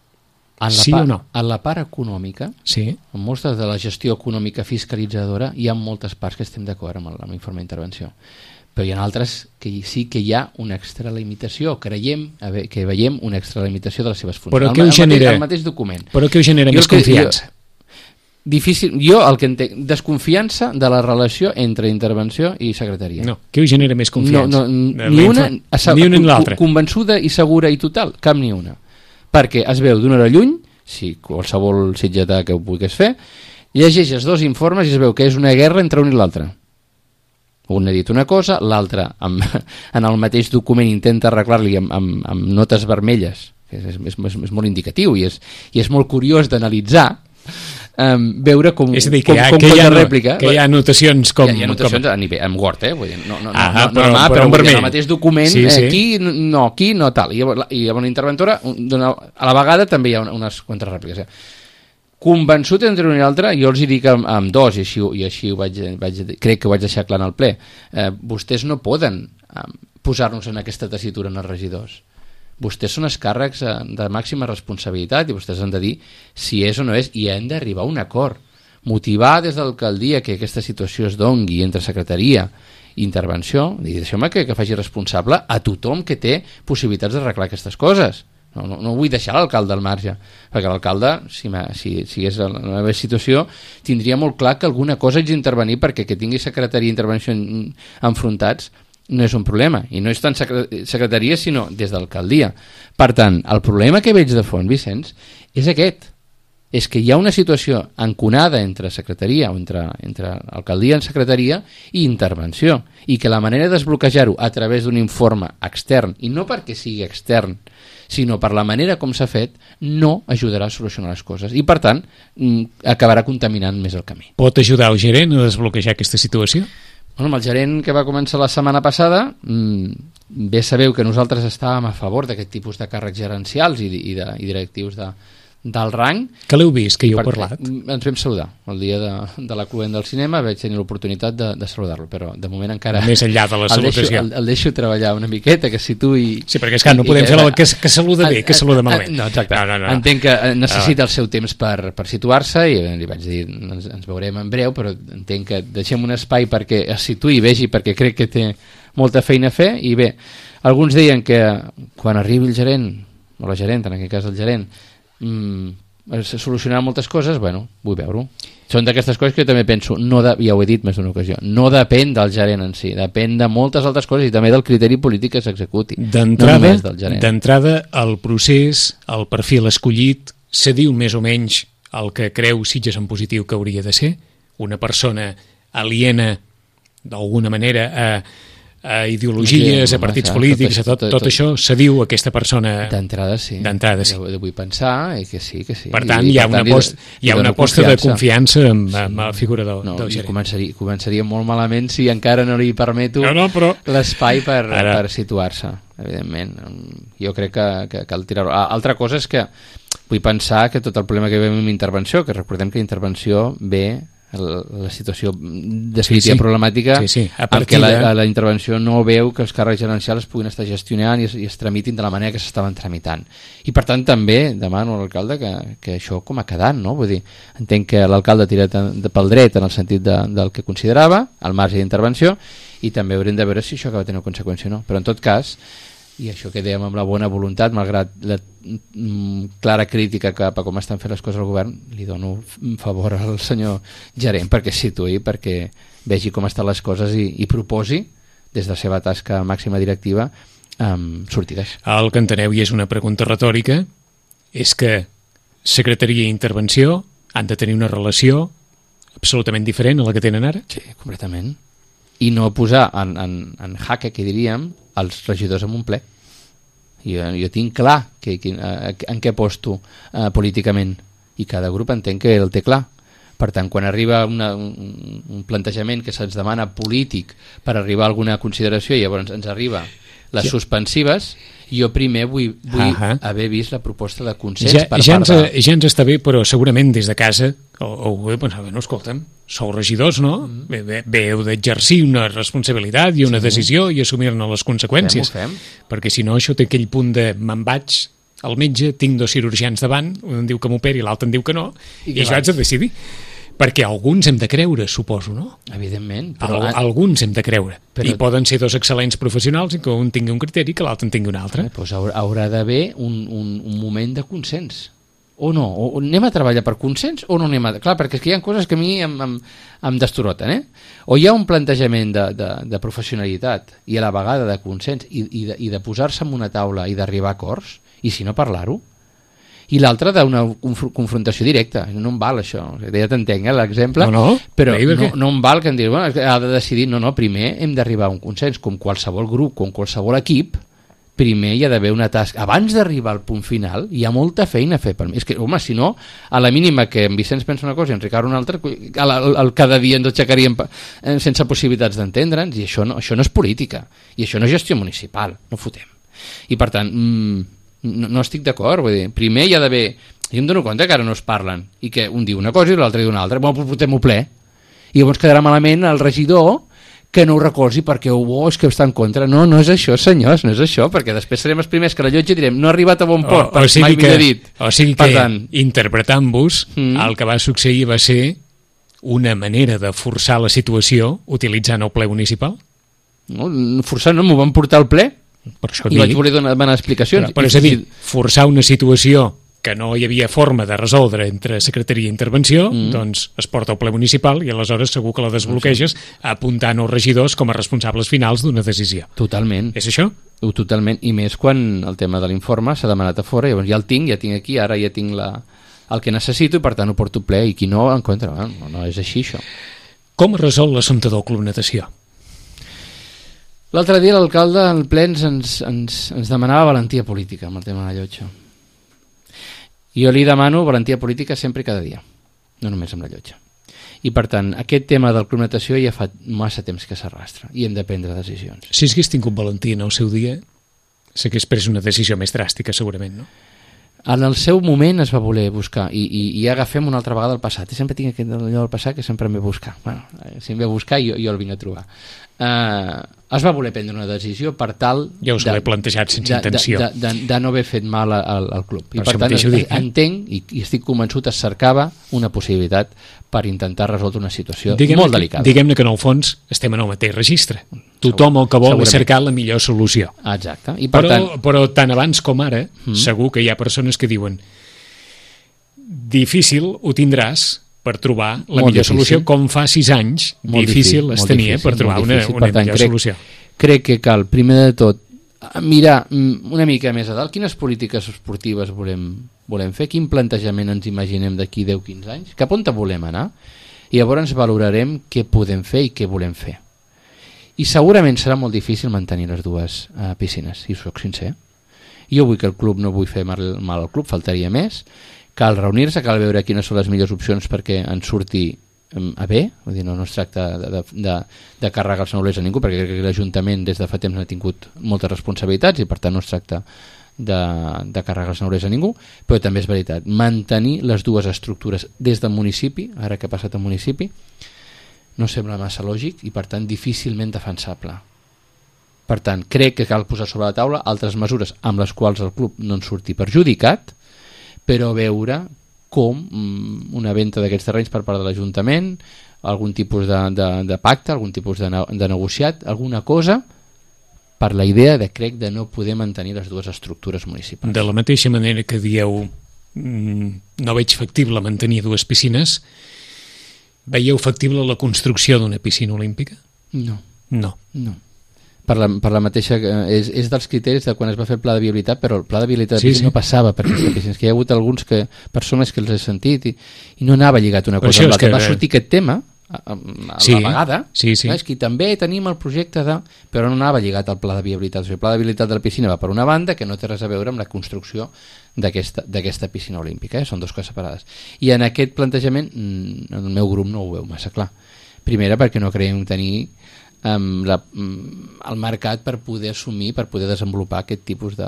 [SPEAKER 3] En la
[SPEAKER 2] sí
[SPEAKER 3] part,
[SPEAKER 2] o no?
[SPEAKER 3] En la part econòmica,
[SPEAKER 2] sí.
[SPEAKER 3] en moltes de la gestió econòmica fiscalitzadora, hi ha moltes parts que estem d'acord amb l'informe d'intervenció. Però hi ha altres que sí que hi ha una extralimitació, creiem que veiem una extralimitació de les seves funcions.
[SPEAKER 2] Però què us genera?
[SPEAKER 3] El mateix document.
[SPEAKER 2] Però què us genera més confiança?
[SPEAKER 3] Jo, difícil, jo el que entenc, desconfiança de la relació entre intervenció i secretaria.
[SPEAKER 2] No, què us genera més confiança?
[SPEAKER 3] No, no, ni una,
[SPEAKER 2] ni una ni l'altra.
[SPEAKER 3] Convençuda i segura i total, cap ni una. Perquè es veu d'una hora lluny, si qualsevol sitgetà que ho puguis fer, llegeix els dos informes i es veu que és una guerra entre un i l'altre. Un ha dit una cosa, l'altre en el mateix document intenta arreglar-li amb, amb, amb notes vermelles, que és, és, és, és molt indicatiu i és, i és molt curiós d'analitzar, um, veure com,
[SPEAKER 2] és a dir, que
[SPEAKER 3] com,
[SPEAKER 2] hi ha,
[SPEAKER 3] com
[SPEAKER 2] que hi ha,
[SPEAKER 3] rèplica.
[SPEAKER 2] Que hi ha anotacions com...
[SPEAKER 3] Hi ha, hi ha anotacions
[SPEAKER 2] com...
[SPEAKER 3] a nivell, amb Word, eh? Vull dir, no, no,
[SPEAKER 2] ah,
[SPEAKER 3] no,
[SPEAKER 2] però,
[SPEAKER 3] no, no,
[SPEAKER 2] però,
[SPEAKER 3] però
[SPEAKER 2] en
[SPEAKER 3] en el mateix document, sí, sí. aquí no, aquí no tal. I llavors, i llavors la interventora, a la vegada també hi ha unes quantes rèpliques. Eh? Convençut entre un i l'altre, jo els hi dic amb, amb dos, i així, i així ho vaig, vaig, crec que ho vaig deixar clar en el ple, eh, vostès no poden eh, posar-nos en aquesta tessitura en els regidors. Vostès són els càrrecs eh, de màxima responsabilitat i vostès han de dir si és o no és, i han d'arribar a un acord. Motivar des de l'alcaldia que aquesta situació es dongui entre secretaria i intervenció, i deixeu-me que, que faci responsable a tothom que té possibilitats d'arreglar aquestes coses. No, no, no vull deixar l'alcalde al marge, perquè l'alcalde, si, si, si és en la meva situació, tindria molt clar que alguna cosa haig d'intervenir, perquè que tingui secretaria i intervenció en, enfrontats no és un problema, i no és tant secretaria sinó des d'alcaldia. Per tant, el problema que veig de fons, Vicenç, és aquest, és que hi ha una situació enconada entre secretaria o entre, entre alcaldia en secretaria i intervenció, i que la manera de desbloquejar-ho a través d'un informe extern, i no perquè sigui extern, sinó per la manera com s'ha fet, no ajudarà a solucionar les coses. I, per tant, acabarà contaminant més el camí.
[SPEAKER 2] Pot ajudar el gerent a desbloquejar aquesta situació?
[SPEAKER 3] Bueno, amb el gerent que va començar la setmana passada, bé sabeu que nosaltres estàvem a favor d'aquest tipus de càrrecs gerencials i, i, de, i directius de, d'alt rang.
[SPEAKER 2] Que l'heu vist, que hi heu
[SPEAKER 3] Per-
[SPEAKER 2] parlat?
[SPEAKER 3] Ens vam saludar el dia de, de la cluent del cinema, vaig tenir l'oportunitat de, de saludar-lo, però de moment encara
[SPEAKER 2] Més enllà de la
[SPEAKER 3] el deixo,
[SPEAKER 2] salutació.
[SPEAKER 3] el, el deixo treballar una miqueta, que si tu i...
[SPEAKER 2] Sí, perquè és que no
[SPEAKER 3] i-
[SPEAKER 2] podem
[SPEAKER 3] i-
[SPEAKER 2] fer el que, que saluda bé, que saluda malament.
[SPEAKER 3] No, exacte.
[SPEAKER 2] No, no, no.
[SPEAKER 3] Entenc que necessita el seu temps per, per situar-se i li vaig dir, ens, ens veurem en breu, però entenc que deixem un espai perquè es situï i vegi, perquè crec que té molta feina a fer. I bé, alguns deien que quan arribi el gerent, o la gerent, en aquest cas el gerent, mmm, es solucionaran moltes coses. Bueno, vull veure-ho. Són d'aquestes coses que jo també penso, no de, ja ho he dit més d'una ocasió, no depèn del gerent en si, depèn de moltes altres coses i també del criteri polític que s'executi.
[SPEAKER 2] D'entrada,
[SPEAKER 3] no només del gerent.
[SPEAKER 2] d'entrada, el procés, el perfil escollit, se diu més o menys el que creu Sitges en positiu que hauria de ser, una persona aliena d'alguna manera a, a ideologies,
[SPEAKER 3] Sí,
[SPEAKER 2] a partits
[SPEAKER 3] home,
[SPEAKER 2] polítics,
[SPEAKER 3] tot
[SPEAKER 2] a tot,
[SPEAKER 3] això-
[SPEAKER 2] tot
[SPEAKER 3] tot-
[SPEAKER 2] això, se diu aquesta persona...
[SPEAKER 3] D'entrada sí.
[SPEAKER 2] D'entrada sí.
[SPEAKER 3] Jo vull pensar i que sí, que sí.
[SPEAKER 2] Per tant,
[SPEAKER 3] I,
[SPEAKER 2] hi ha
[SPEAKER 3] per
[SPEAKER 2] una,
[SPEAKER 3] tant, li-
[SPEAKER 2] aposta, hi
[SPEAKER 3] li
[SPEAKER 2] ha una
[SPEAKER 3] dono
[SPEAKER 2] aposta de confiança amb, amb la figura del,
[SPEAKER 3] No,
[SPEAKER 2] del
[SPEAKER 3] i
[SPEAKER 2] gerent.
[SPEAKER 3] començaria, començaria molt malament si encara no li permeto
[SPEAKER 2] No, no, però-
[SPEAKER 3] l'espai per,
[SPEAKER 2] Ara-
[SPEAKER 3] per situar-se, evidentment. Jo crec que, que cal tirar-ho. Ah, altra cosa és que vull pensar que tot el problema que veiem amb intervenció, que recordem que intervenció ve la, la situació definitiva
[SPEAKER 2] Sí, sí.
[SPEAKER 3] problemàtica
[SPEAKER 2] Sí, sí. A
[SPEAKER 3] en què
[SPEAKER 2] partir de-
[SPEAKER 3] la, la intervenció no veu que els càrrecs gerencials es puguin estar gestionant i es, i es tramitin de la manera que s'estaven tramitant. I per tant també demano a l'alcalde que, que això com ha quedat, no? Vull dir, entenc que l'alcalde ha tirat en- de, pel dret en el sentit de, del que considerava, al marge d'intervenció, i també haurem de veure si això acaba tenint conseqüència o no. Però en tot cas, i això que dèiem amb la bona voluntat, malgrat la mm, clara crítica cap a com estan fent les coses al govern, li dono f- favor al senyor gerent perquè es situï, perquè vegi com estan les coses i, i proposi des de la seva tasca màxima directiva um, sortides.
[SPEAKER 2] El que enteneu, i és una pregunta retòrica, és que secretaria i intervenció han de tenir una relació absolutament diferent a la que tenen ara?
[SPEAKER 3] Sí, completament. I no posar en, en, en jaque, que diríem, els regidors en un ple. Jo, jo tinc clar que, que, eh, en què posto eh, políticament i cada grup entenc que el té clar. Per tant, quan arriba una, un, un plantejament que se'ns demana polític per arribar a alguna consideració i llavors ens arriba les
[SPEAKER 2] Ja.
[SPEAKER 3] suspensives, jo primer vull, vull
[SPEAKER 2] Ahà.
[SPEAKER 3] haver vist la proposta de consens
[SPEAKER 2] Ja,
[SPEAKER 3] per
[SPEAKER 2] ja,
[SPEAKER 3] part
[SPEAKER 2] ens,
[SPEAKER 3] de...
[SPEAKER 2] ja ens està bé, però segurament des de casa o, o heu pensat, no, escolta'm, sou regidors, no? Mm. Bé, bé, bé, heu d'exercir una responsabilitat i una sí. decisió i assumir-ne les conseqüències.
[SPEAKER 3] Fem-ho, fem.
[SPEAKER 2] Perquè si no, això té aquell punt de me'n vaig al metge, tinc dos cirurgians davant, un em diu que m'operi, l'altre em diu que no,
[SPEAKER 3] I
[SPEAKER 2] i,
[SPEAKER 3] què
[SPEAKER 2] i això haig
[SPEAKER 3] vas?
[SPEAKER 2] de decidir. Perquè alguns hem de creure, suposo, no?
[SPEAKER 3] Evidentment.
[SPEAKER 2] Però...
[SPEAKER 3] Però,
[SPEAKER 2] Al, alguns hem de creure.
[SPEAKER 3] Però-
[SPEAKER 2] I poden ser dos excel·lents professionals i que un tingui un criteri i que l'altre en tingui un altre.
[SPEAKER 3] Eh, doncs haurà, haurà d'haver un, un, un moment de consens. O no? O, o anem a treballar per consens o no anem a... Clar, perquè és que hi ha coses que a mi em, em, em destoroten, eh? O hi ha un plantejament de, de, de professionalitat i a la vegada de consens i, i de, i de posar-se en una taula i d'arribar a acords, i si no parlar-ho, i l'altre d'una conf confrontació directa. No em val això, ja t'entenc, eh, l'exemple,
[SPEAKER 2] No, no,
[SPEAKER 3] però
[SPEAKER 2] bé,
[SPEAKER 3] no, no em val que em digui, bueno, és que ha de decidir, no, no, primer hem d'arribar a un consens, com qualsevol grup, com qualsevol equip, primer hi ha d'haver una tasca. Abans d'arribar al punt final, hi ha molta feina a fer per mi. És que, home, si no, a la mínima que en Vicenç pensa una cosa i en Ricard una altra, el, el, el, cada dia ens aixecaríem eh, sense possibilitats d'entendre'ns, i això no, això no és política, i això no és gestió municipal, no fotem. I per tant, mmm, no, no estic d'acord, vull dir, primer hi ha d'haver... Jo em dono compte que ara no es parlen, i que un diu una cosa i l'altre diu una altra, bueno, portem-ho ple. I llavors quedarà malament el regidor que no ho recolzi perquè oh, és que està en contra. No, no és això, senyors, no és això, perquè després serem els primers que la llotja direm no ha arribat a bon port,
[SPEAKER 2] o, o sigui
[SPEAKER 3] mai
[SPEAKER 2] que,
[SPEAKER 3] millor dit.
[SPEAKER 2] O sigui
[SPEAKER 3] Per
[SPEAKER 2] que,
[SPEAKER 3] tant,
[SPEAKER 2] interpretant-vos,
[SPEAKER 3] Mm.
[SPEAKER 2] el que va succeir va ser una manera de forçar la situació utilitzant el ple municipal?
[SPEAKER 3] no, forçant no, m'ho van portar al ple
[SPEAKER 2] Per això
[SPEAKER 3] i
[SPEAKER 2] dic.
[SPEAKER 3] vaig voler donar, donar explicacions.
[SPEAKER 2] Però, però és a dir, forçar una situació que no hi havia forma de resoldre entre secretaria i intervenció, mm. doncs es porta al ple municipal i aleshores segur que la desbloqueges apuntant els regidors com a responsables finals d'una decisió.
[SPEAKER 3] Totalment.
[SPEAKER 2] És això?
[SPEAKER 3] Ho, totalment, i més quan el tema de l'informe s'ha demanat a fora, llavors ja el tinc, ja tinc aquí, ara ja tinc la, el que necessito i per tant ho porto ple, i qui no, en contra. No, no és així això.
[SPEAKER 2] Com es resol l'assumpte del Club Natació?
[SPEAKER 3] L'altre dia l'alcalde en plens ens, ens, ens demanava valentia política amb el tema de la llotja. Jo li demano valentia política sempre i cada dia, no només amb la llotja. I per tant, aquest tema del Club Natació ja fa massa temps que s'arrastra i hem de prendre decisions.
[SPEAKER 2] Si hagués tingut valentia en el seu dia, s'hagués pres una decisió més dràstica, segurament, no?
[SPEAKER 3] en el seu moment es va voler buscar i, i, i agafem una altra vegada el passat i sempre tinc aquest allò del passat que sempre em ve a buscar bueno, si em ve a buscar jo, jo el vinc a trobar uh, es va voler prendre una decisió per tal
[SPEAKER 2] ja us
[SPEAKER 3] de,
[SPEAKER 2] ho he plantejat sense
[SPEAKER 3] de,
[SPEAKER 2] intenció
[SPEAKER 3] de, de, de, de no haver fet mal al, al club i
[SPEAKER 2] per,
[SPEAKER 3] per tant
[SPEAKER 2] dic, eh?
[SPEAKER 3] entenc i, i estic convençut es cercava una possibilitat per intentar resoldre una situació
[SPEAKER 2] diguem
[SPEAKER 3] molt
[SPEAKER 2] que,
[SPEAKER 3] delicada
[SPEAKER 2] diguem-ne que en el fons estem en el mateix registre tothom el que vol és cercar la millor solució
[SPEAKER 3] exacte I per
[SPEAKER 2] però,
[SPEAKER 3] tant,
[SPEAKER 2] però tant abans com ara mm. segur que hi ha persones que diuen difícil ho tindràs per trobar la
[SPEAKER 3] molt
[SPEAKER 2] millor
[SPEAKER 3] difícil.
[SPEAKER 2] Solució com fa sis anys
[SPEAKER 3] molt
[SPEAKER 2] difícil, difícil es tenia
[SPEAKER 3] difícil,
[SPEAKER 2] per trobar una, una
[SPEAKER 3] per tant,
[SPEAKER 2] millor
[SPEAKER 3] crec,
[SPEAKER 2] solució
[SPEAKER 3] crec que cal primer de tot mirar una mica més a dalt quines polítiques esportives volem, volem fer, quin plantejament ens imaginem d'aquí deu a quinze anys, cap on volem anar i llavors valorarem què podem fer i què volem fer i segurament serà molt difícil mantenir les dues uh, piscines, si soc sincer jo vull que el club, no vull fer mal, mal al club, faltaria més cal reunir-se, cal veure quines són les millors opcions perquè ens surti a bé, vull dir, no, no es tracta de, de, de, de carregar els neulers a ningú perquè crec que l'Ajuntament des de fa temps ha tingut moltes responsabilitats i per tant no es tracta de, de carregar els neulers a ningú, però també és veritat mantenir les dues estructures des del municipi, ara que ha passat al municipi no sembla massa lògic i per tant difícilment defensable per tant crec que cal posar sobre la taula altres mesures amb les quals el club no en surti perjudicat però veure com una venda d'aquests terrenys per part de l'Ajuntament, algun tipus de, de, de pacte, algun tipus de, de negociat, alguna cosa per la idea de, crec, de no poder mantenir les dues estructures municipals.
[SPEAKER 2] De la mateixa manera que dieu no veig factible mantenir dues piscines, veieu factible la construcció d'una piscina olímpica?
[SPEAKER 3] No.
[SPEAKER 2] No.
[SPEAKER 3] No. Per la, per la mateixa, és, és dels criteris de quan es va fer el pla de viabilitat, però el pla de viabilitat
[SPEAKER 2] sí, sí.
[SPEAKER 3] no passava per aquesta piscina. És que hi ha hagut alguns que, persones que els he sentit i, i no anava lligat una cosa amb l'altra. Que... Va sortir aquest tema a, a, a
[SPEAKER 2] sí,
[SPEAKER 3] la vegada,
[SPEAKER 2] sí, sí.
[SPEAKER 3] és que també tenim el projecte de... però no anava lligat al pla de viabilitat. O sigui, el pla de viabilitat de la piscina va per una banda que no té res a veure amb la construcció d'aquesta piscina olímpica, eh? Són dues coses separades. I en aquest plantejament el meu grup no ho veu massa clar. Primera, perquè no creiem tenir Um, la, um, el mercat per poder assumir, per poder desenvolupar aquest tipus de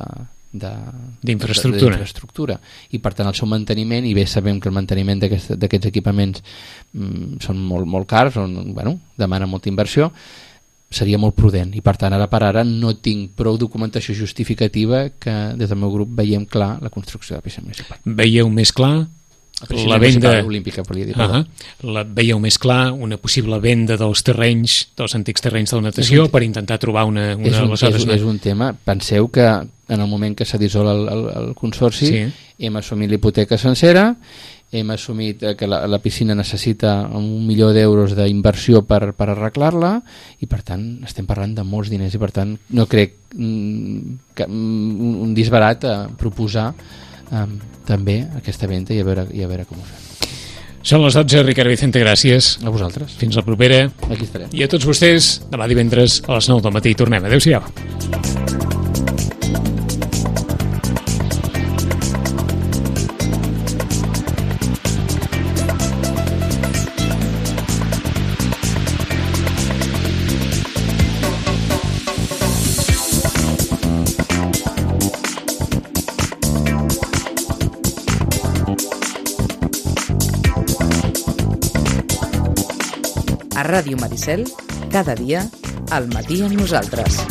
[SPEAKER 2] d'infraestructura
[SPEAKER 3] i per tant el seu manteniment, i bé sabem que el manteniment d'aquests equipaments um, són molt, molt cars, on, bueno, demana molta inversió, seria molt prudent i per tant ara per ara no tinc prou documentació justificativa que des del meu grup veiem clar la construcció de la piscina municipal.
[SPEAKER 2] Veieu més clar
[SPEAKER 3] la venda olímpica, volia dir,
[SPEAKER 2] uh -huh. la veieu més clar una possible venda dels terrenys, dels antics terrenys de la natació un... per intentar trobar una, una
[SPEAKER 3] és, un, és, un, és un tema, penseu que en el moment que s'ha dissolt el, el, el consorci sí. hem assumit l'hipoteca sencera, hem assumit que la, la piscina necessita un milió d'euros d'inversió per, per arreglar-la i per tant estem parlant de molts diners i per tant no crec mm, que, un, un disbarat a proposar Um, també aquesta venda i a veure, i a veure com ho fem.
[SPEAKER 2] Són les dotze, Ricard Vicente, gràcies.
[SPEAKER 3] A vosaltres.
[SPEAKER 2] Fins la propera.
[SPEAKER 3] Aquí estarem.
[SPEAKER 2] I a tots vostès, demà divendres a les nou del matí tornem. Adéu-siau.
[SPEAKER 1] A Ràdio Maricel, cada dia, al matí amb nosaltres.